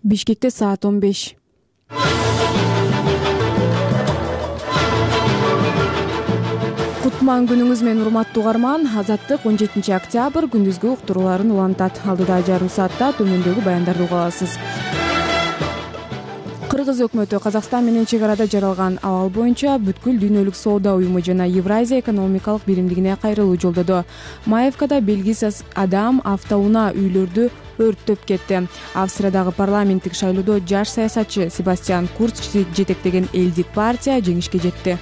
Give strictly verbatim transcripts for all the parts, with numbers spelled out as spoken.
Бишкекте саат он беш. Кутман күнүңүз менен урматтуу угарман. Азаттык он жетинчи октябрь күндүзгү уктурууларын улантат. Алдыда жарым саатта төмөндөгү баяндарды уга аласыз. Кыргыз өкмөтү Казакстан менен чек арада жаралган абал боюнча бүткүл дүйнөлүк соода уюму жана Евразия экономикалык биримдигине кайрылуу жолдоду. Маевкада белгисиз адам автоунаа үйлөрдү өрттөп кетти. Австриядагы парламенттик шайлоодо жаш саясатчы Себастьян Курц жетектеген элдик партия жеңишке жетти.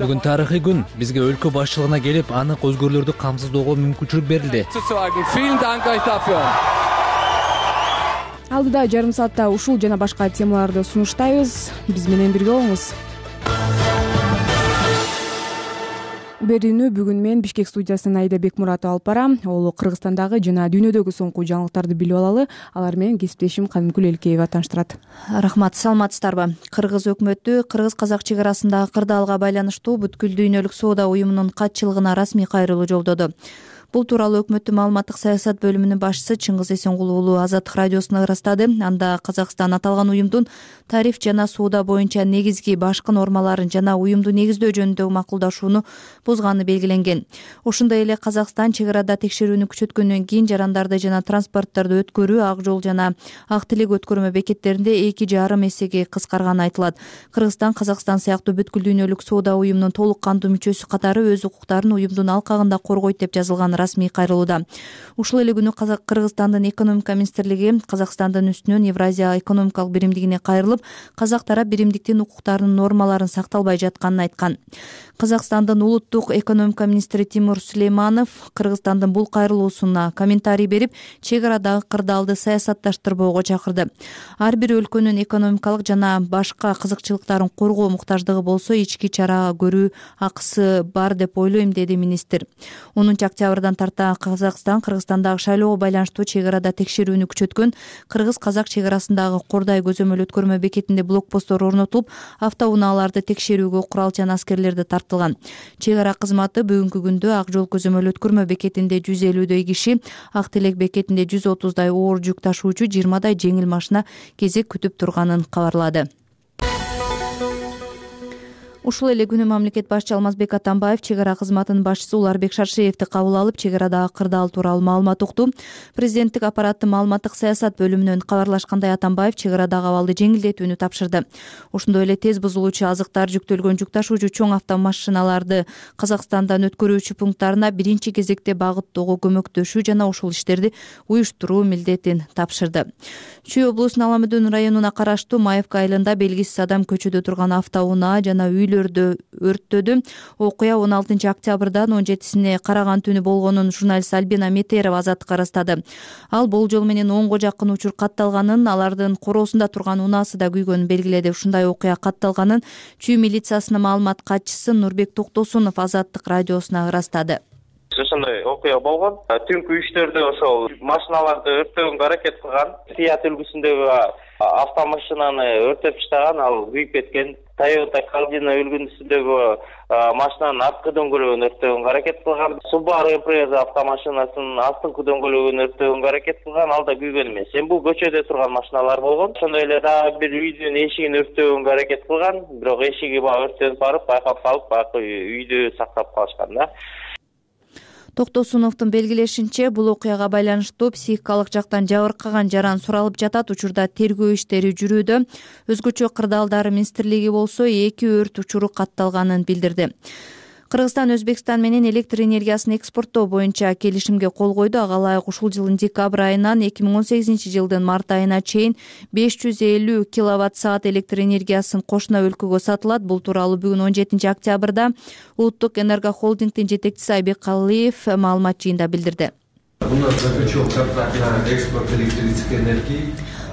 Бүгүн тарыхый күн. Бизге өлкө башчылыгына келип, анык өзгөрүүлөрдү камсыздоого мүмкүнчүлүк берилди. Алдыда жарым саатта ушул жана башка темаларды сунуштайбыз. Биз менен бирге болуңуз. Берүүнү бүгүн мен Бишкек студиясынан Айда Бекмуратова алып барам. Ол Кыргызстандагы жана дүйнөдөгү соңку жаңылыктарды билип алалы. Алар менен кесиптешим Кадымкүл Элкеева тааныштырат. Рахмат, саламатсыздарбы? Кыргыз өкмөтү кыргыз-казак чек арасындагы кырдаалга байланыштуу бүткүл дүйнөлүк соода уюмунун катчылыгына расмий кайрылуу жолдоду. Бул тууралуу өкмөттүн маалыматтык саясат бөлүмүнүн башчысы Чыңгыз Эсенгул уулу Азаттык радиосуна ырастады. Анда Казакстан аталган уюмдун тариф жана соода боюнча негизги башкы нормаларын жана уюмду негиздөө жөнүндөгү макулдашууну бузганы белгиленген. Ошондой эле Казакстан чек арада текшерүүнү күчөткөндөн кийин жарандарды жана транспортторду өткөрүү ак жол жана ак тилек өткөрмө бекеттеринде эки жарым эсеге кыскарганы айтылат. Кыргызстан Казакстан сыяктуу бүткүл дүйнөлүк соода уюмунун толук кандуу мүчөсү катары өз укуктарын уюмдун алкагында коргойт деп жазылган расмий кайрылууда. Ушул эле күнү Кыргызстандын экономика министрлиги Казакстандын үстүнөн Евразия экономикалык биримдигине кайрылып, казак тарап биримдиктин укуктарынын нормаларын сакталбай жатканын айткан. Казакстандын улуттук экономика министри Тимур Сулейманов Кыргызстандын бул кайрылуусуна комментарий берип, чек арадагы кырдаалды саясатташтырбоого чакырды. Ар бир өлкөнүн экономикалык жана башка кызыкчылыктарын коргоо муктаждыгы болсо, ички чара көрүү акысы бар деп ойлойм, деди министр. онунчу октябрдан тарта Казакстан Кыргызстандагы шайлоого байланыштуу чек арада текшерүүнү күчөткөн. Кыргыз-казак чек арасындагы Кордай көзөмөл өткөрмө бекетинде блокпосттор орнотулуп, автоунааларды текшерүүгө курал жана аскерлерди тартылган. Чек ара кызматы бүгүнкү күндө ак жол көзөмөл өткөрмө бекетинде жүз элүүдөй киши, ак тилек бекетинде жүз отуздай оор жүк ташуучу, жыйырмадай жеңил машина кезек күтүп турганын кабарлады. Ушул эле күнү мамлекет башчы Алмазбек Атамбаев чек ара кызматынын башчысы Уларбек Шаршеевди кабыл алып, чек арадагы кырдаал тууралуу маалымат укту. Президенттик аппараттын маалыматтык саясат бөлүмүнөн кабарлашкандай, Атамбаев чек арадагы абалды жеңилдетүүнү тапшырды. Ошондой эле тез бузулуучу азыктар жүктөлгөн жүк ташуучу чоң автомашиналарды Казакстандан өткөрүүчү пункттарына биринчи кезекте багыттоого көмөктөшүү жана ушул иштерди уюштуруу милдетин тапшырды. Чүй облусунун Аламүдүн районуна караштуу Маевка айылында белгисиз адам көчөдө турган автоунаа жана үйлөрдү өрттөдү. Окуя он алтынчы октябрдан он жетисине караган түнү болгонун журналист Альбина Метерова Азаттыкка ырастады. Ал болжол менен онго жакын учур катталганын, алардын короосунда турган унаасы да күйгөнүн белгиледи. Ушундай окуя катталганын Чүй милициясынын маалымат катчысы Нурбек Токтосунов Азаттык радиосуна ырастады. Ошондой окуя болгон. Түнкү үчтөрдө ошол машиналарды өрттөгөнгө аракет кылган. Фиат үлгүсүндөгү автомашинаны өртөп таштаган, ал күйүп кеткен. Toyota Caldina үлгүсүндөгү машинанын арткы дөңгөлөгүн өрттөгөнгө аракет кылган. Subaru Impreza автомашинасынын астыңкы дөңгөлөгүн өрттөгөнгө аракет кылган, ал да күйгөн эмес. Эми бул көчөдө турган машиналар болгон. Ошондой эле дагы бир үйдүн эшигин өрттөгөнгө аракет кылган, бирок эшиги баягы өрттөнүп барып, байкап калып, баягы үйдү сактап калышкан да. Токтосуновдун белгилешинче, бул окуяга байланыштуу психикалык жактан жабыркаган жаран суралып жатат. Учурда тергөө иштери жүрүүдө. Өзгөчө кырдаалдар министрлиги болсо эки өрт учуру катталганын билдирди. Кыргызстан Өзбекстан менен электр энергиясын экспорттоо боюнча келишимге кол койду. Ага ылайык ушул жылдын декабрь айынан эки миң он сегизинчи жылдын март айына чейин беш жүз элүү киловатт саат электр энергиясын кошуна өлкөгө сатылат. Бул тууралуу бүгүн он жетинчи октябрда Улуттук энерго холдингдин жетекчиси Айбек Калыев маалымат жыйында билдирди.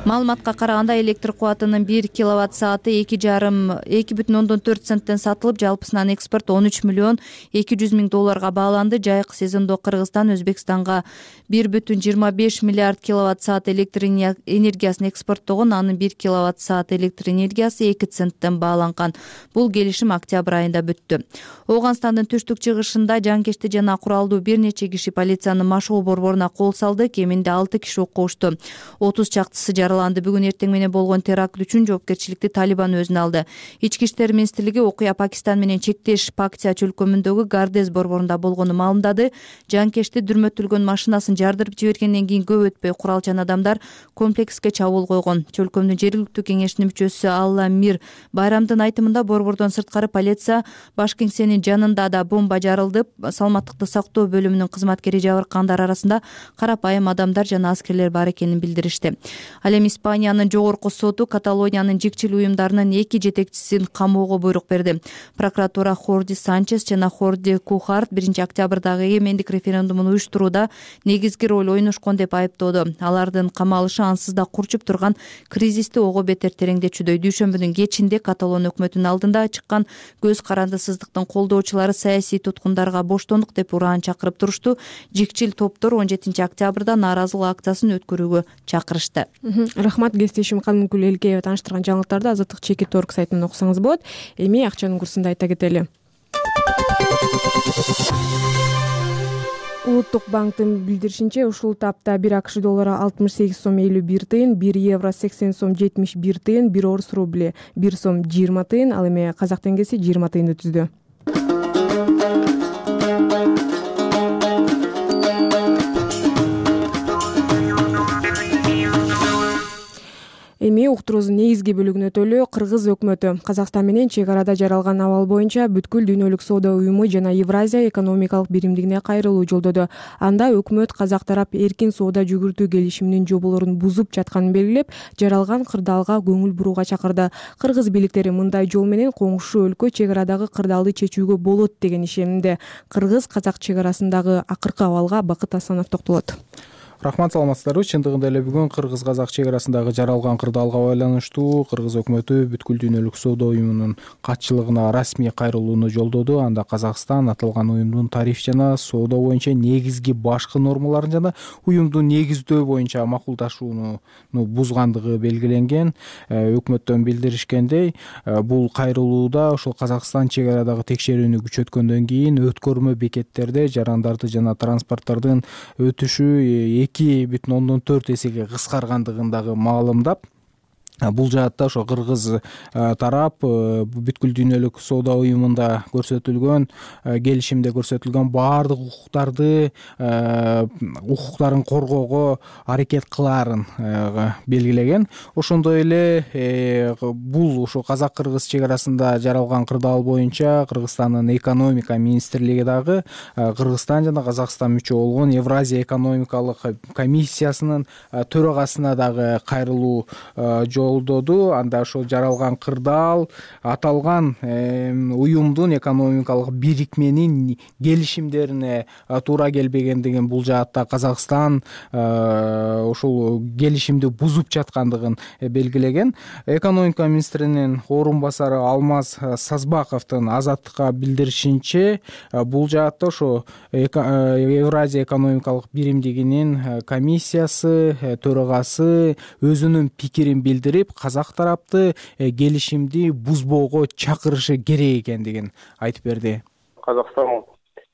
Маалыматка караганда электр кубатынын бир киловатт сааты эки жарым эки бүтүн ондон төрт центтен сатылып, жалпысынан экспорт он үч миллион эки жүз миң долларга бааланды. Жайкы сезондо Кыргызстан Өзбекстанга бир бүтүн жыйырма беш миллиард киловатт саат электр энергиясын экспорттогон, анын бир киловатт саат электр энергиясы эки центтен бааланган. Бул келишим октябрь айында бүттү. Ооганстандын түштүк чыгышында жанкечти жана куралдуу бир нече киши полициянын машыгуу борборуна кол салды. Кеминде алты киши окушту. отуз чактысы жараланды. Бүгүн эртең менен болгон теракт үчүн жоопкерчиликти Талибан өзүнө алды. Ички иштер министрлиги окуя Пакистан менен чектеш Пактия чөлкөмүндөгү Гардез борборунда болгонун маалымдады. Жанкечти дүрмөтүлгөн машинасын жардырып жибергенден кийин көп өтпөй куралчан адамдар комплекске чабуул койгон. Чөлкөмдүн жергиликтүү кеңешинин мүчөсү Алла Мир Байрамдын айтымында борбордон сырткары полиция баш кеңсенин жанында да бомба жарылды. Саламаттыкты сактоо бөлүмүнүн кызматкери жабыркагандар арасында карапайым адамдар жана аскерлер бар экенин билдиришти. Ал эми Испаниянын жогорку соту Каталониянын жикчил уюмдарынын эки жетекчисин камоого буйрук берди. Прокуратура Хорди Санчес жана Хорди Кухарт биринчи октябрдагы эгемендик референдумун уюштурууда негизги роль ойношкон деп айыптоодо. Алардын камалышы ансыз да курчуп турган кризисти ого бетер тереңдетүүдөй. Дүйшөмбүнүн кечинде Каталон өкмөтүнүн алдында чыккан көз карандысыздыктын колдоочулары саясий туткундарга боштондук деп ураан чакырып турушту. Жикчил топтор он жетинчи октябрда нааразылык акциясын өткөрүүгө чакырышты. Рахмат, кесиптешим Калмыкүл Элкеева тааныштырган жаңылыктарды Азаттык чекит орг сайтынан окусаңыз болот. Эми акчанын курсун айта кетели. Улуттук банктын билдиришинче, ушул тапта бир АКШ доллары алтымыш сегиз сом элүү бир тыйын, бир евро сексен сом жетимиш бир тыйын, бир орус рубли бир сом жыйырма тыйын, ал эми казак теңгеси жыйырма тыйынды түздү. Эми уктуруубуздун негизги бөлүгүнө өтөлү. Кыргыз өкмөтү Казакстан менен чек арада жаралган абал боюнча бүткүл дүйнөлүк соода уюму жана Евразия экономикалык биримдигине кайрылуу жолдоду. Анда өкмөт казак тарап эркин соода жүгүртүү келишиминин жоболорун бузуп жатканын белгилеп, жаралган кырдаалга көңүл бурууга чакырды. Кыргыз бийликтери мындай жол менен коңшу өлкө чек арадагы кырдаалды чечүүгө болот деген ишенимде. Кыргыз-казак чек арасындагы акыркы абалга Бакыт Асанов токтолот. Рахмат, саламатсыздарбы. Чындыгында эле бүгүн кыргыз-казак чек арасындагы жаралган кырдаалга байланыштуу Кыргыз өкмөтү бүткүл дүйнөлүк соода уюмунун катчылыгына расмий кайрылууну жолдоду. Анда Казакстан аталган уюмдун тариф жана соода боюнча негизги башкы нормаларын жана уюмдун негиздөө боюнча макулдашууну бузгандыгы белгиленген. Өкмөттөн билдиришкендей, бул кайрылууда ошол Казакстан чек арадагы текшерүүнү күчөткөндөн кийин өткөрмө бекеттерде жарандарды жана транспорттардын өтүшү эки бүтүн ондон төрт эсеге кыскаргандыгын маалымдап, бул жаатта ошо кыргыз тарап бүткүл дүйнөлүк соода уюмунда көрсөтүлгөн келишимде көрсөтүлгөн баардык укуктарды укуктарын коргоого аракет кылаарын белгилеген. Ошондой эле бул ошо казак-кыргыз чек арасында жаралган кырдаал боюнча Кыргызстандын экономика министрлиги дагы Кыргызстан жана Казакстан мүчө болгон Евразия экономикалык комиссиясынын төрагасына дагы кайрылуу жолдоду. Анда ошол жаралган кырдаал аталган уюмдун экономикалык бирикменин келишимдерине туура келбегендигин, бул жаатта Казакстан ошол келишимди бузуп жаткандыгын белгилеген. Экономика министринин орун басары Алмаз Сазбаковдун Азаттыкка билдиришинче, бул жаатта ошо Евразия экономикалык биримдигинин комиссиясы төрагасы өзүнүн пикирин билдирип, казак тарапты келишимди бузбоого чакырышы керек экендигин айтып берди. Казакстан,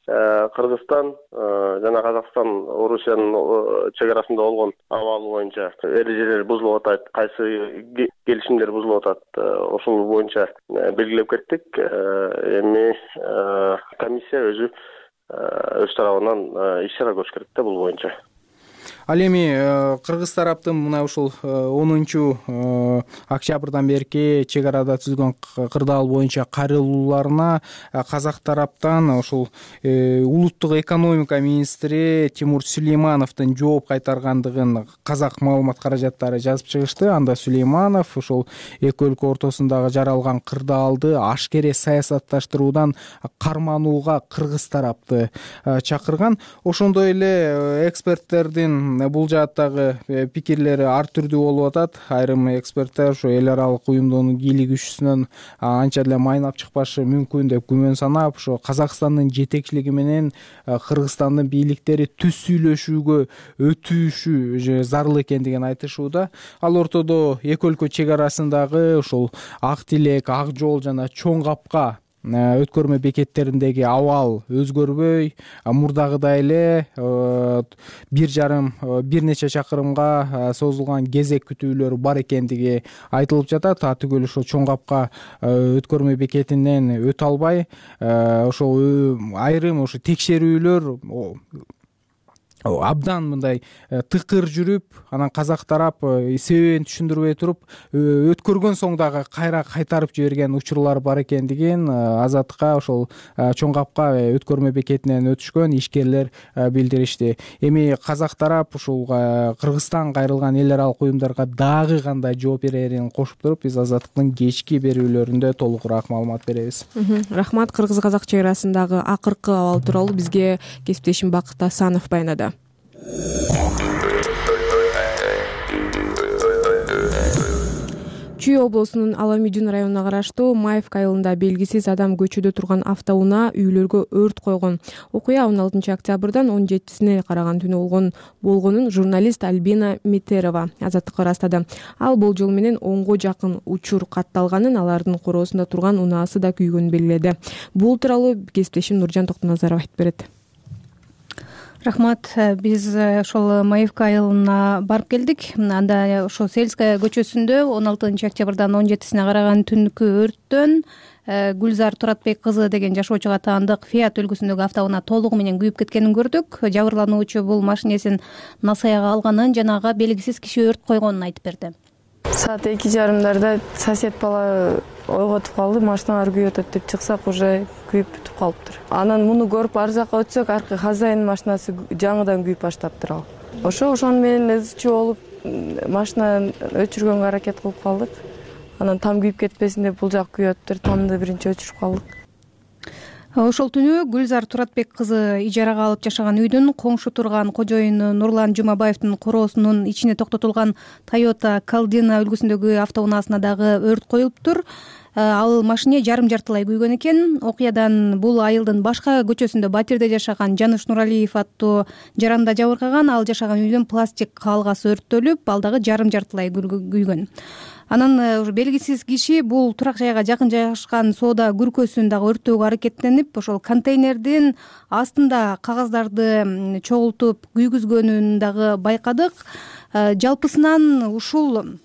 Кыргызстан жана Казакстан Орусиянын чек арасында болгон абал боюнча эрежелер бузулуп атат, кайсы келишимдер бузулуп атат, ошол боюнча белгилеп кеттик. Эми комиссия өзү өз тарабынан иш чара көрүш керек да бул боюнча. Ал эми кыргыз тараптын мына ушул онунчу октябрдан берки чек арада түзүлгөн кырдаал боюнча кайрылууларына казак тараптан ушул улуттук экономика министри Тимур Сулеймановдун жооп кайтаргандыгын казак маалымат каражаттары жазып чыгышты. Анда Сулейманов ушул эки өлкө ортосундагы жаралган кырдаалды ашкере саясатташтыруудан карманууга кыргыз тарапты чакырган. Ошондой эле эксперттердин эксперттердин бул жааттагы пикирлери ар түрдүү болуп атат. Айрым эксперттер ушу эл аралык уюмдун бийлик күчүсүнөн анча деле майнап чыкпашы мүмкүн деп күмөн санап, ошо Казакстандын жетекчилиги менен Кыргызстандын бийликтери түз сүйлөшүүгө өтүшү зарыл экендигин айтышууда. Ал ортодо эки өлкө чек арасындагы ушул Ак Тилек, Ак Жол жана Чоң Капка өткөрмө бекеттериндеги абал өзгөрбөй, мурдагыдай эле бир жарым бир нече чакырымга созулган кезек күтүүлөр бар экендиги айтылып жатат. Түгөл ошо Чоң Капка өткөрмө бекетинен өтө албай, ошол айрым ошо текшерүүлөр абдан мындай тыкыр жүрүп, анан казак тарап себебин түшүндүрбөй туруп, өткөргөн соң дагы кайра кайтарып жиберген учурлар бар экендигин Азаттыкка ошол Чоң Капка өткөрмө бекетинен өтүшкөн ишкерлер билдиришти. Эми казак тарап ушул Кыргызстан кайрылган эл аралык уюмдарга дагы кандай жооп берерин кошуп туруп, биз Азаттыктын кечки берүүлөрүндө толугураак маалымат беребиз. Рахмат. Кыргыз-казак чек арасындагы акыркы абал тууралуу бизге кесиптешим Бакыт Асанов баянады. Чүй облусунун Аламүйдүн районуна караштуу Маевка айылында белгисиз адам көчөдө турган автоунаа үйлөргө өрт койгон. Окуя он алтынчы октябрдан он жетисине караган түнү болгон болгонун журналист Альбина Метерова Азаттыкка ырастады. Ал болжол менен онго жакын учур катталганын, алардын короосунда турган унаасы да күйгөнүн белгиледи. Бул тууралуу кесиптешим Нуржан Токтоназаров айтып берет. Рахмат. Биз ошол Маевка айылына барып келдик. Анда ошо Сельская көчөсүндө он алтынчы октябрдан он жетисине караган түнкү өрттөн Гүлзар Туратбек кызы деген жашоочуга таандык Фиат үлгүсүндөгү автоунаа толугу менен күйүп кеткенин көрдүк. Жабырлануучу бул машинесин насаяга алганын, жанага белгисиз киши өрт койгонун айтып берди. Саат эки жарымдарда сосед бала ойготуп калды, машиналар күйүп атат деп чыксак, уже күйүп бүтүп калыптыр. Анан муну көрүп ар жака өтсөк, аркы хозяин машинасы жаңыдан күйүп баштаптыр ал. Ошо ошону менен ызчуу болуп, машинаны өчүргөнгө аракет кылып калдык. Анан там күйүп кетпесин деп бул жак күйүп атыптыр, тамды биринчи өчүрүп калдык. Ошол түнү Гүлзар Туратбек кызы ижарага алып жашаган үйдүн коңшу турган кожоюну Нурлан Жумабаевдин короосунун ичине токтотулган Toyota Caldina үлгүсүндөгү автоунаасына дагы өрт коюлуптур. Ал машине жарым жартылай күйгөн экен. Окуядан бул айылдын башка көчөсүндө батирде жашаган Жаныш Нуралиев аттуу жаранда жабыркаган. Ал жашаган үйдүн пластик калгасы өрттөлүп, ал дагы жарым жартылай күйгөн. Анан белгисиз киши бул турак жайга жакын жайгашкан соода күркөсүн дагы өрттөөгө аракеттенип, ошол контейнердин астында кагаздарды чогултуп күйгүзгөнүн дагы байкадык. Жалпысынан ушул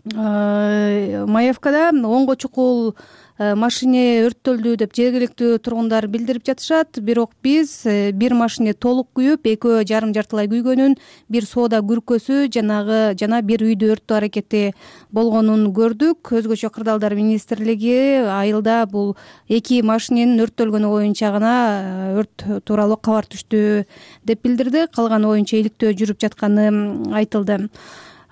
Маевкада онго чукул машине өрттөлдү деп жергиликтүү тургундар билдирип жатышат. Бирок биз бир машине толук күйүп, экөө жарым жартылай күйгөнүн, бир соода күркөсү жанагы жана бир үйдү өрттөө аракети болгонун көрдүк. Өзгөчө кырдаалдар министрлиги айылда бул эки машиненин өрттөлгөнү боюнча гана өрт тууралуу кабар түштү деп билдирди. Калганы боюнча иликтөө жүрүп жатканы айтылды.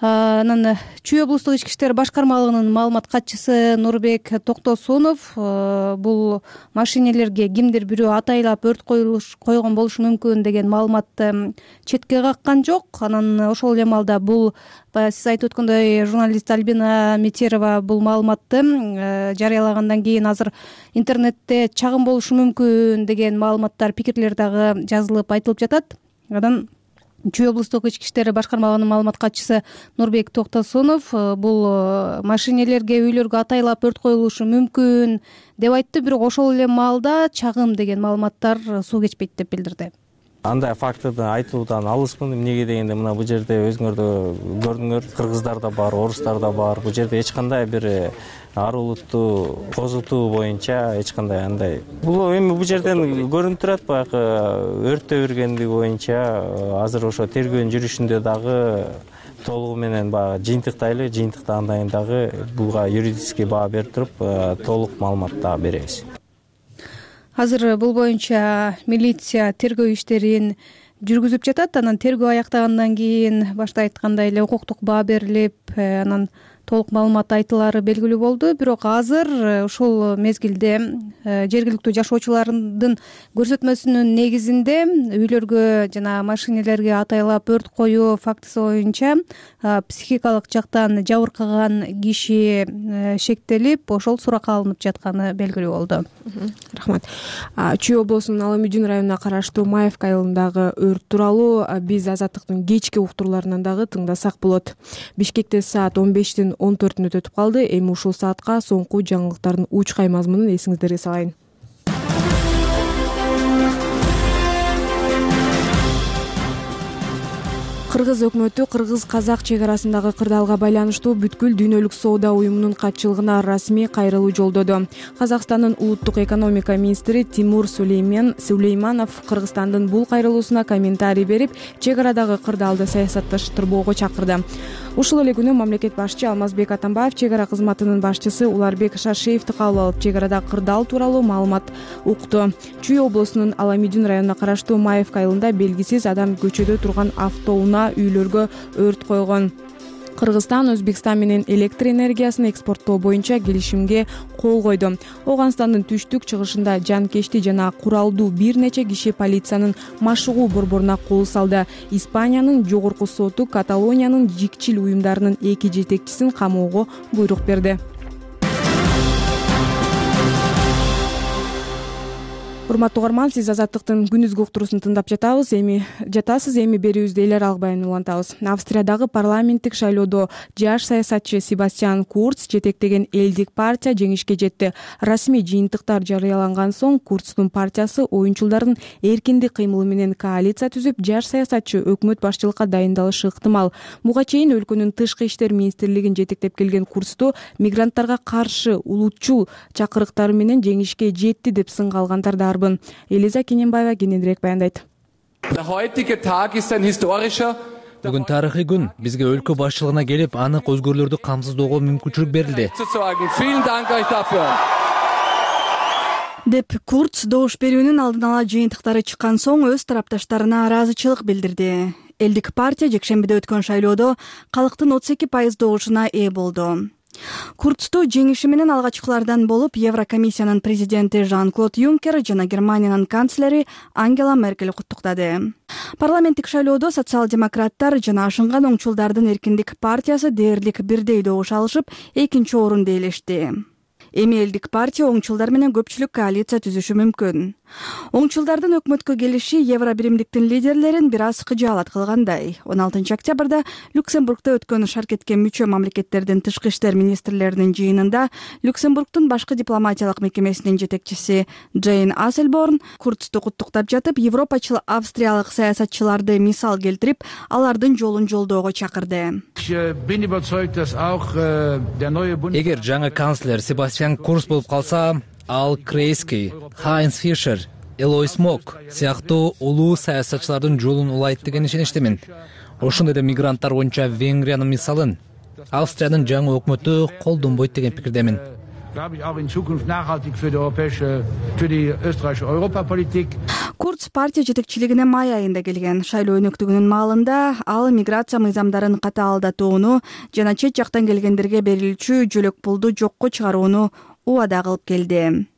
Анан Чүй облустук ички иштер башкармалыгынын маалымат катчысы Нурбек Токтосунов бул машинелерге кимдир бирөө атайлап өрт койгон болушу мүмкүн деген маалыматты четке каккан жок. Анан ошол эле маалда бул сиз айтып өткөндөй журналист Альбина Метерова бул маалыматты жарыялагандан кийин азыр интернетте чагым болушу мүмкүн деген маалыматтар, пикирлер дагы жазылып айтылып жатат. Анан Чүй облустук ички иштер башкармалыгынын маалымат катчысы Нурбек Токтосунов бул машинелерге, үйлөргө атайлап өрт коюлушу мүмкүн деп айтты, бирок ошол эле маалда чагым деген маалыматтар суу кечпейт деп билдирди. Андай фактыды айтуудан алыспын. Эмнеге дегенде, мына бул жерде өзүңөр да көрдүңөр, кыргыздар да бар, орустар да бар. Бул жерде эч кандай бир ар улутту козутуу боюнча эч кандай андай. Бул эми бул жерден көрүнүп турат, баягы өрттөө бергендиги боюнча азыр ошо тергөөнүн жүрүшүндө дагы толугу менен баягы жыйынтыктайлы, жыйынтыктан кийин дагы буга юридический баа берип туруп толук маалымат дагы беребиз. Азыр бул боюнча милиция тергөө иштерин жүргүзүп жатат. Анан тергөө аяктагандан кийин башта айткандай эле укуктук баа берилип, анан толук маалымат айтылаары белгилүү болду. Бирок азыр ушул мезгилде жергиликтүү жашоочулардын көрсөтмөсүнүн негизинде үйлөргө жана машинелерге атайлап өрт коюу фактысы боюнча психикалык жактан жабыркаган киши шектелип, ошол суракка алынып жатканы белгилүү болду. Рахмат. Чүй облусунун Ала Мүдүн районуна караштуу Маевка айылындагы өрт тууралуу биз Азаттыктын кечки уктурууларынан дагы тыңдасак болот. Бишкекте саат он бештин он төртүнө өтүп калды. Эми ушул саатка соңку жаңылыктардын учкай мазмунун эсиңиздерге салайын. Кыргыз өкмөтү кыргыз-казак чек арасындагы кырдаалга байланыштуу бүткүл дүйнөлүк соода уюмунун катчылыгына расмий кайрылуу жолдоду. Казакстандын улуттук экономика министри Тимур Сулеймен Сулейманов Кыргызстандын бул кайрылуусуна комментарий берип, чек арадагы кырдаалды саясатташтырбоого чакырды. Ушул эле күнү мамлекет башчы Алмазбек Атамбаев чек ара кызматынын башчысы Уларбек Шашиевди кабыл алып, чек арада кырдаал тууралуу маалымат укту. Чүй облусунун Ала Мүдүн районуна караштуу Маевка айылында белгисиз адам көчөдө турган автоунаа үйлөргө өрт койгон. Кыргызстан Өзбекстан менен электр энергиясын экспорттоо боюнча келишимге кол койду. Ооганстандын түштүк чыгышында жанкечти жана куралдуу бир нече киши полициянын машыгуу борборуна кол салды. Испаниянын жогорку соту Каталониянын жикчил уюмдарынын эки жетекчисин камоого буйрук берди. Урматтуу угарман, сиз Азаттыктын күнүзгү уктуруусун тыңдап жатабыз. Эми жатасыз, эми берүүбүздө эл аралык баян улантабыз. Австриядагы парламенттик шайлоодо жаш саясатчы Себастьян Курц жетектеген элдик партия жеңишке жетти. Расмий жыйынтыктар жарыяланган соң Курцтун партиясы оюнчулардын эркиндик кыймылы менен коалиция түзүп, жаш саясатчы өкмөт башчылыкка дайындалышы ыктымал. Буга чейин өлкөнүн тышкы иштер министрлигин жетектеп келген Курцту мигранттарга каршы улутчул чакырыктары менен жеңишке жетти деп сынга алгандар да арбын. Элиза Кененбаева кененирээк баяндайт. Бүгүн тарыхый күн. Бизге өлкө башчылыгына келип, анык өзгөрүүлөрдү камсыздоого мүмкүнчүлүк берилди. деп Курц добуш берүүнүн алдын ала жыйынтыктары чыккан соң өз тарапташтарына ыраазычылык билдирди. Элдик партия жекшембиде өткөн шайлоодо калктын отуз эки пайыз добушуна ээ болду. Курцту жеңиши менен алгачкылардан болуп Еврокомиссиянын президенти Жан-Клод Юнкер жана Германиянын канцлери Ангела Меркель куттуктады. Парламенттик шайлоодо социал-демократтар жана ашынган оңчулдардын эркиндик партиясы дээрлик бирдей добуш алышып, экинчи орунду ээлешти. Эми элдик партия оңчулдар менен көпчүлүк коалиция түзүшү мүмкүн. Оңчулдардын өкмөткө келиши Евробиримдиктин лидерлерин бир аз кыжаалат кылгандай. он алтынчы октябрда Люксембургда өткөн шаркетке мүчө мамлекеттердин тышкы иштер министрлеринин жыйынында Люксембургдун башкы дипломатиялык мекемесинин жетекчиси Джейн Асселборн Курцту куттуктап жатып, европачыл австриялык саясатчыларды мисал келтирип, алардын жолун жолдоого чакырды. Эгер жаңы канцлер Себастьян Курц болуп калса, Ал Крейски, Хайнс Фишер, Элойс Мок сыяктуу улуу саясатчылардын жолун улайт деген ишеничтемин. Ошондой эле мигранттар боюнча Венгриянын мисалын Австриянын жаңы өкмөтү колдонбойт деген пикирдемин. Курц партия жетекчилигине май айында келген. Шайлоо өнөктүгүнүн маалында ал миграция мыйзамдарын катаалдатууну жана чет жактан келгендерге берилчү жөлөк пулду жокко чыгарууну убада кылып келди.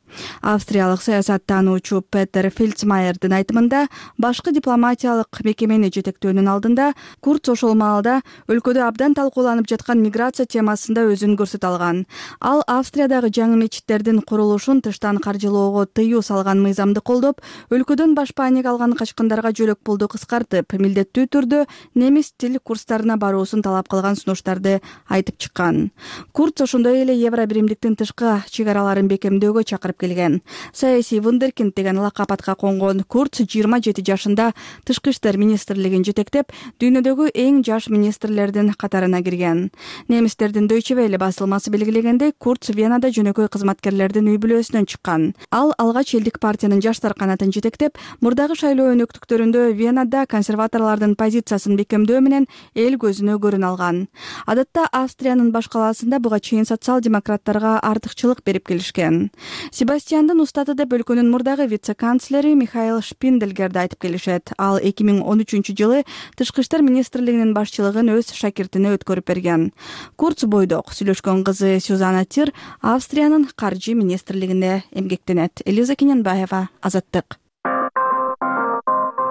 Австриялык саясаттануучу Петер Фельдсмайердин айтымында, башкы дипломатиялык мекемени жетектөөнүн алдында Курц ошол маалда өлкөдө абдан талкууланып жаткан миграция темасында өзүн көрсөтө алган. Ал Австриядагы жаңы мечиттердин курулушун тыштан каржылоого тыюу салган мыйзамды колдоп, өлкөдөн баш паник алган качкындарга жөлөк пулду кыскартып, милдеттүү түрдө немис тил курстарына баруусун талап кылган сунуштарды айтып чыккан. Курц ошондой эле Евробиримдиктин тышкы чек араларын бекемдөөгө чакырып келген. Саясий вундеркинд деген лакап атка конгон Курц жыйырма жети жашында тышкы иштер министрлигин жетектеп, дүйнөдөгү эң жаш министрлердин катарына кирген. Немистердин Deutsche Welle басылмасы белгилегендей, Курц Венада жөнөкөй кызматкерлердин үй бүлөсүнөн чыккан. Ал алгач элдик партиянын жаштар канатын жетектеп, мурдагы шайлоо өнөктүктөрүндө Венада консерваторлордун позициясын бекемдөө менен эл көзүнө көрүн алган. Адатта Австриянын баш калаасында буга чейин социал-демократтарга артыкчылык берип келишкен. Россиянын устаты деп өлкөнүн мурдагы вице-канцлери Михаил Шпинделгерди айтып келишет. Ал эки миң он үчүнчү жылы Тышкы иштер министрлигинин башчылыгын өз шакиртине өткөрүп берген. Курц бойдок сүйлөшкөн кызы Сюзанна Тир Австриянын каржы министрлигинде эмгектенет. Элиза Кененбаева, Азаттык.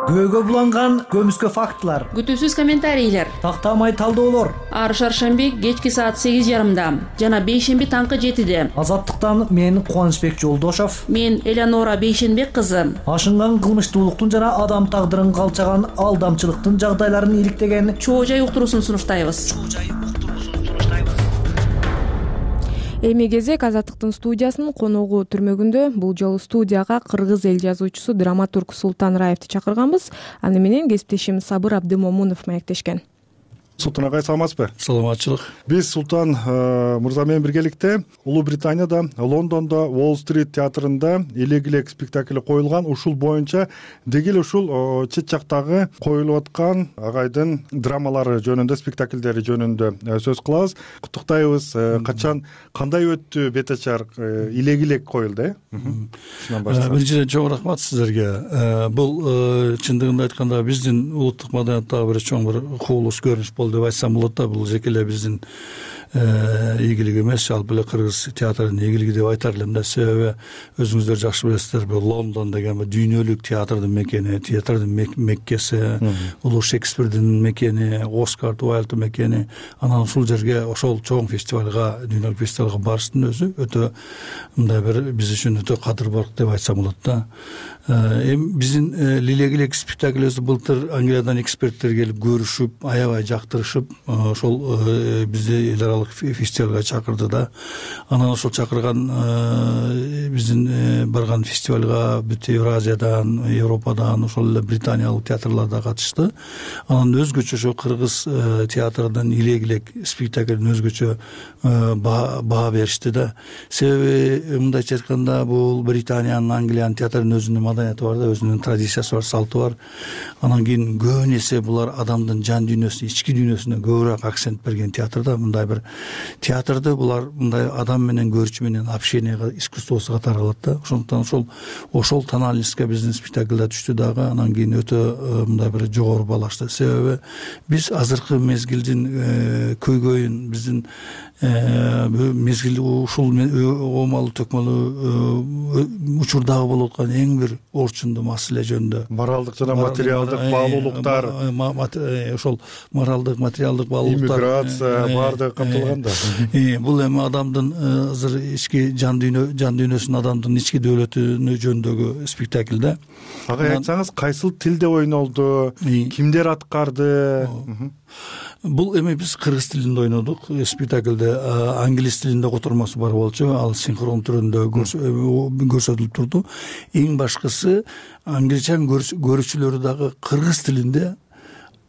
Көөгө буланган көмүскө фактылар, күтүүсүз комментарийлер, тактамай талдоолор. Ар шаршемби кечки саат сегиз жарымда жана бейшемби таңкы жетиде. Азаттыктан мен Кубанычбек Жолдошов, мен Элеонора Бейшенбек кызы. Ашынган кылмыштуулуктун жана адам тагдырын калчаган алдамчылыктын жагдайларын иликтеген чоо жай уктуруусун сунуштайбыз. Эми кезек Азаттыктын студиясынын коногу түрмөгүндө. Бул жолу студияга кыргыз эл жазуучусу, драматург Султан Раевди чакырганбыз. Аны менен кесиптешим Сабыр Абдымомунов маектешкен. Султан агай, саламатсызбы? Саламатчылык. Биз Султан мырза менен биргеликте Улуу Британияда, Лондондо Уолл-стрит театрында элек элек спектакли коюлган. Ушул боюнча деги эле ушул чет жактагы коюлуп аткан агайдын драмалары жөнүндө, спектакльдери жөнүндө сөз кылабыз. Куттуктайбыз. Качан, кандай өттү бетачар? Элек элек коюлду, э? Биринчиден чоң рахмат сиздерге. Бул чындыгында айтканда биздин улуттук маданияттагы бир чоң бир кубулуш, көрүнүш деп айтсам болот да. Бул жеке эле биздин ийгилик эмес, жалпы эле кыргыз театрынын ийгилиги деп айтар элем да. Себеби өзүңүздөр жакшы билесиздер, бул Лондон деген дүйнөлүк театрдын мекени, театрдын меккеси, улуу Шекспирдин мекени, Оскар Уайлддын мекени. Анан ушул жерге, ошол чоң фестивалга, дүйнөлүк фестивалга барыштын өзү өтө мындай бир биз үчүн өтө кадырбар деп айтсам болот да. Эми биздин элек элек спектаклибизди былтыр Англиядан эксперттер келип көрүшүп, аябай жактырышып, ошол бизди эл аралык фестивалга чакырды да. Анан ошол чакырган биздин барган фестивалга бүт Евразиядан, Европадан, ошол эле британиялык театрлар да катышты. Анан өзгөчө ошо кыргыз театрынын элек элек спектаклин өзгөчө баа беришти да. Себеби мындайча айтканда бул Британиянын, Англиянын театрынын өзүнүн маданияты бар да, өзүнүн традициясы бар, салты бар. Анан кийин көбүн эсе булар адамдын жан дүйнөсүнө, ички дүйнөсүнө көбүрөөк акцент берген театрда. Мындай бир театрды булар мындай адам менен, көрүүчү менен общение искусствосу катары кылат да. Ошондуктан ошол ошол тональностька биздин спектакльда түштү дагы. Анан кийин өтө мындай бир жогору баалашты. Себеби биз азыркы мезгилдин көйгөйүн, биздин мезгил ушул оомалуу төкмөлүү учурдагы болуп аткан эң бир орчундуу маселе жөнүндө, моралдык жана материалдык баалуулуктар, ошол моралдык, материалдык баалуулуктар, иммиграция баардыгы камтылган да. Бул эми адамдын азыр ички жан дүйнө, жан дүйнөсүн, адамдын ички дөөлөтүнө жөнүндөгү спектакль да. Ага айтсаңыз, кайсыл тилде ойнолду, кимдер аткарды? Бул эми биз кыргыз тилинде ойнодук. Спектакльде англис тилинде котормосу бар болчу, ал синхрон түрүндө көрсөтүлүп турду. Эң башкысы англичан көрүүчүлөрү дагы кыргыз тилинде,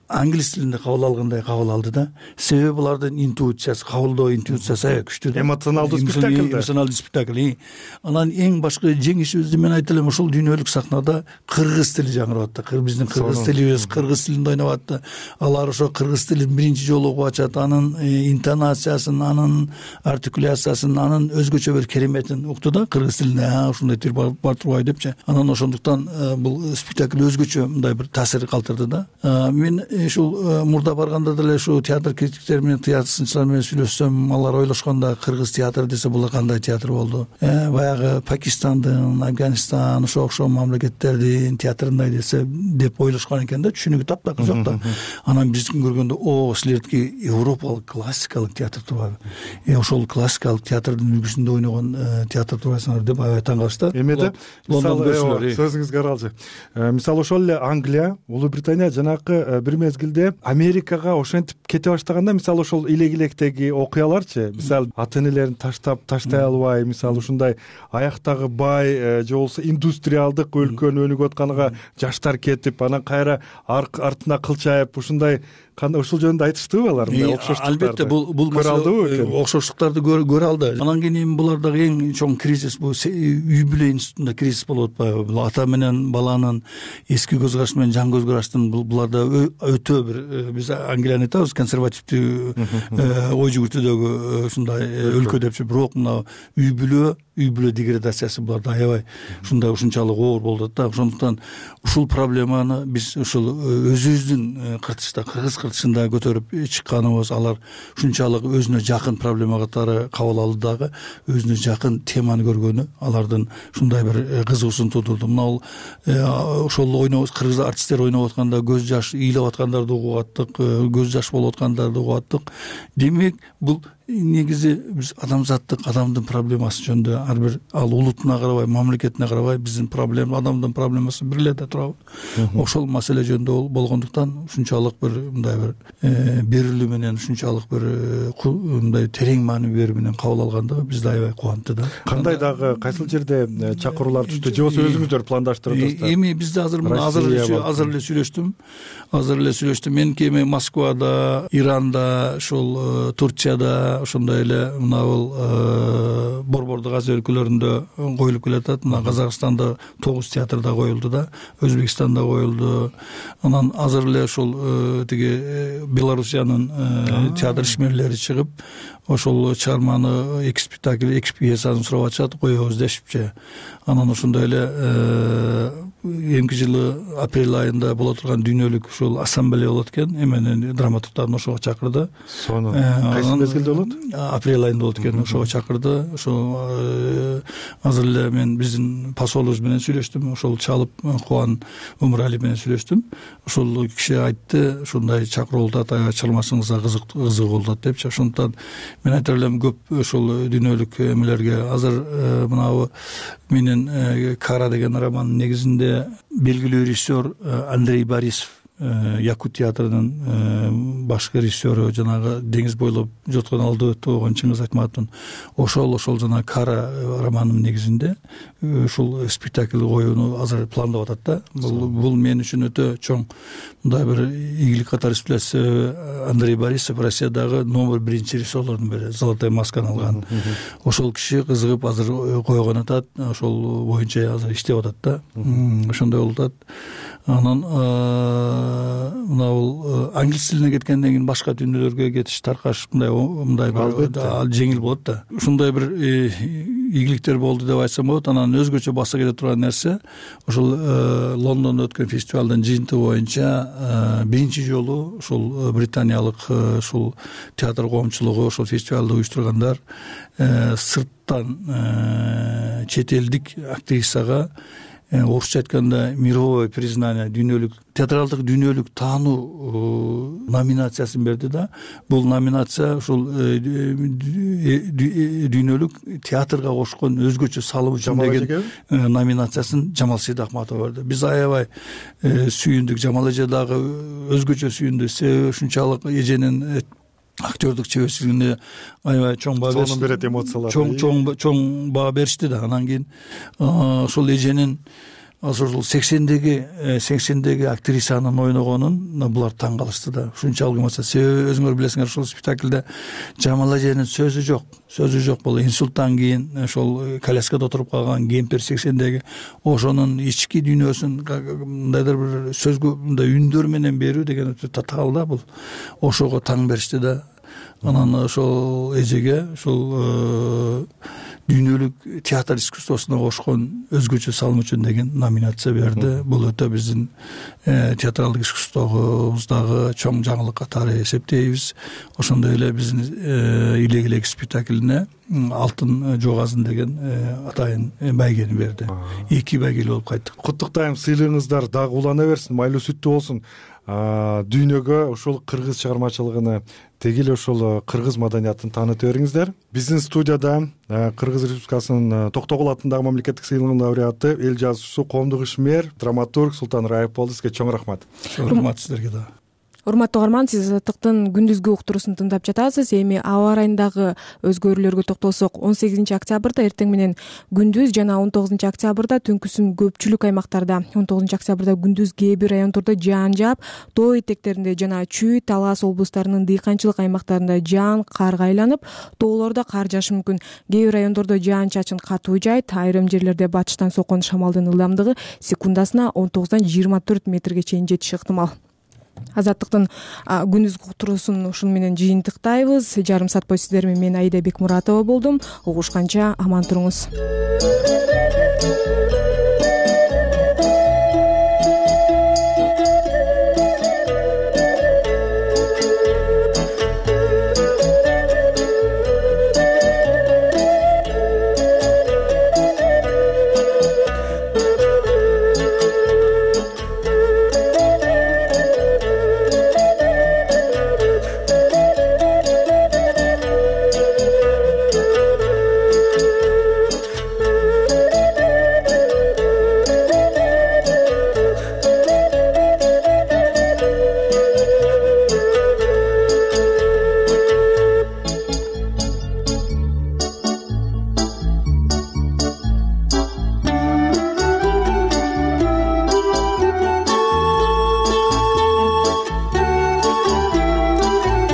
англис тилинде кабыл алгандай кабыл алды да. Себеби булардын интуициясы, кабылдоо интуициясы аябай күчтүү да. Эмоционалдуу спектакль. Эмоционалдуу спектакль. Анан эң башкы жеңишибизди мен айта элем, ошол дүйнөлүк сахнада кыргыз тили жаңырап атты. Биздин кыргыз тилибиз, кыргыз тилинде ойноп атты. Алар ошо кыргыз тилин биринчи жолу угуп ачат, анын интонациясын, анын артикуляциясын, анын өзгөчө бир кереметин укту да. Кыргыз тилинде ушундай тил бар турбайбы депчи. Анан ошондуктан бул спектакль өзгөчө мындай бир таасир калтырды да. Мен ушул мурда барганда деле ушу театр критиктери менен, театр сынчылар менен сүйлөшсөм, алар ойлошкондо кыргыз театры десе бул кандай театр болду? Баягы Пакистандын, Афганистан, ошо окшом мамлекеттердин театрындай десе деп ойлошкон экен да, түшүнүгү таптакыр жок да. Анан биздикин көргөндө, о, силердики европалык классикалык театр турбайбы? Э, ошол классикалык театрдын үлгүсүндө ойногон театр турбайсыңар деп аябай таң калышты. Эмеде сөзүңүзгө аралжы. Мисалы ошол эле Англия, Улуу Британия жанакы бир мезгилде Америкага ошентип кете баштаганда, мисалы ошол элек электеги окуяларчы, мисалы ата энелерин таштап таштай албай, мисалы ушундай аяктагы бай же болбосо индустриалдык өлкөнү өнүгүп атканга жаштар кетип, анан кайра артына кылчайып, ушундай ушул жөнүндө айтыштыбы алар? Окшоштуктарды албетте бул бул окшоштуктарды көрө алды. Анан кийин булардагы эң чоң кризис бул үй бүлө институтунда кризис болуп атпайбы? Бул ата менен баланын эски көз карашы менен жаңы көз караштын буларда өтө бир биз Англияны айтабыз консервативдүү ой жүгүртүүдөгү ушундай өлкө депчи, бирок мына үй бүлө үй бүлө деградациясы буларда аябай ушундай ушунчалык оор болуп атат да. Ошондуктан ушул проблеманы биз ушул өзүбүздүн кыртышта, кыргыз кыртышында көтөрүп чыкканыбыз, алар ушунчалык өзүнө жакын проблема катары кабыл алды дагы, өзүнө жакын теманы көргөнү алардын ушундай бир кызыгуусун туудурду. Мына ошол ойноо кыргыз артисттер ойноп атканда көз жаш ыйлап аткандарды угуп аттык, көз жаш болуп аткандарды угуп аттык. Демек бул негизи биз адамзаттык, адамдын проблемасы жөнүндө ар бир ал улутуна карабай, мамлекетине карабай биздин проблема, адамдын проблемасы бир эле да турабы. Ошол маселе жөнүндө болгондуктан ушунчалык бир мындай бир берилүү менен, ушунчалык бир мындай терең маани берүү менен кабыл алгандыгы бизди аябай кубантты да. Кандай дагы кайсыл жерде чакыруулар түштү же болбосо өзүңүздөр пландаштырып атасыздар? Эми бизде азыр азыр азыр эле сүйлөштүм. Азыр эле сүйлөштүм. Меники эми Москвада, Иранда, ушул Турцияда, ошондой эле мына бул Борбордук Азия өлкөлөрүндө коюлуп келатат. Мына Казакстанда тогуз театрда коюлду да, Өзбекстанда коюлду. Анан азыр эле ушул тиги Белоруссиянын театр ишмерлери чыгып, ошол чыгарманы эки спектакль, эки пьесаны сурап атышат, коебуз дешипчи. Анан ошондой эле эмки жылы апрель айында боло турган дүйнөлүк ушул ассамблея болот экен, эменин драматургдарын ошого чакырды. Сону кайсы мезгилде болот? Апрель айында болот экен, ошого чакырды. Ошо азыр эле мен биздин посолубуз менен сүйлөштүм, ошол чалып Кубан Өмүралиев менен сүйлөштүм. Ошол киши айтты, ушундай чакыруу болуп атат, чалмасыңызга кызык кызык болуп атат депчи. Ошондуктан мен айта элем, көп ошол дүйнөлүк эмелерге азыр мынабу менин Кара деген романдын негизинде белгилүү режиссер Андрей Борисов, Якут театрынын башкы режиссеру, жанагы деңиз бойлоп жоткон алды өтүп болгон Чыңгыз Айтматовдун ошол ошол жана Кара романынын негизинде ушул спектакль коюуну азыр пландап атат да. Бул бул мен үчүн өтө чоң мындай бир ийгилик катары эсептелет. Андрей Борисов Россиядагы номер биринчи режиссерлордун бири, Золотая масканы алган. Ошол киши кызыгып азыр койгон атат, ошол боюнча азыр иштеп атат да. Ошондой болуп атат. Анан мына бул англис тилине кеткенден кийин башка дүйнөлөргө кетиш, таркаш мындай мындай бир жеңил болот да. Ушундай бир ийгиликтер болду деп айтсам болот. Анан өзгөчө баса келе турган нерсе, ошол Лондондо өткөн фестивалдын жыйынтыгы боюнча биринчи жолу ушул британиялык ушул театр коомчулугу, ошол фестивалды уюштургандар сырттан чет элдик актрисага орусча айтканда мировое признание, дүйнөлүк театралдык дүйнөлүк таануу номинациясын берди да. Бул номинация ушул дүйнөлүк театрга кошкон өзгөчө салым үчүн деген номинациясын Жамал Сейдахматова берди. Биз аябай сүйүндүк. Жамал эже дагы өзгөчө сүйүндү. Себеби ушунчалык эженин актёрдук чеберчилигине аябай чоң баа беришти. Сонун берет эмоциялар. Чоң чоң чоң баа беришти да. Анан кийин ошол эженин ошол сексендеги сексендеги актрисанын ойногонун булар таң калышты да. Ушунчалык эмоция. Себеби өзүңөр билесиңер, ошол спектакльде Жамал эженин сөзү жок. Сөзү жок. Бул инсульттан кийин ошол коляскада отуруп калган кемпир сексендеги ошонун ички дүйнөсүн мындайдыр бир сөзгө мындай үндөр менен берүү деген өтө татаал да бул. Ошого таң беришти да. Анан ошол эжеге ушул дүйнөлүк театр искусствосуна кошкон өзгөчө салым үчүн деген номинация берди. Бул өтө биздин театралдык искусствобуздагы чоң жаңылык катары эсептейбиз. Ошондой эле биздин Илек элек спектаклине Алтын жогазын деген атайын байгени берди. Эки байгели болуп кайттык. Куттуктайм, сыйлыгыңыздар дагы улана берсин, майлуу сүттүү болсун. Дүйнөгө ошол кыргыз чыгармачылыгыны, теги эле ошол кыргыз маданиятын тааныта бериңиздер. Биздин студияда Кыргыз Республикасынын Токтогул атындагы мамлекеттик сыйлыгынын лауреаты, эл жазуучусу, коомдук ишмер, драматург Султан Раев болду. Сизге чоң рахмат. Рахмат сиздерге да. Урматтуу угарман, сиз Азаттыктын күндүзгү уктуруусун тыңдап жатасыз. Эми аба ырайындагы өзгөрүүлөргө токтолсок, он сегизинчи октябрда эртең менен күндүз жана он тогузунчу октябрда түнкүсүн көпчүлүк аймактарда, он тогузунчу октябрда күндүз кээ бир райондордо жаан жаап, тоо этектеринде жана Чүй, Талас облустарынын дыйканчылык аймактарында жаан карга айланып, тоолордо кар жаашы мүмкүн. Кээ бир райондордо жаан-чачын катуу жайт, айрым жерлерде батыштан соккон шамалдын ылдамдыгы секундасына он тогуздан жыйырма төрт метрге чейин жетиши ыктымал. азаттыктын күндүзгү уктуруусун ушуну менен жыйынтыктайбыз. Жарым саат бою сиздер менен мен Аида Бекмуратова болдум. Угушканча аман туруңуз.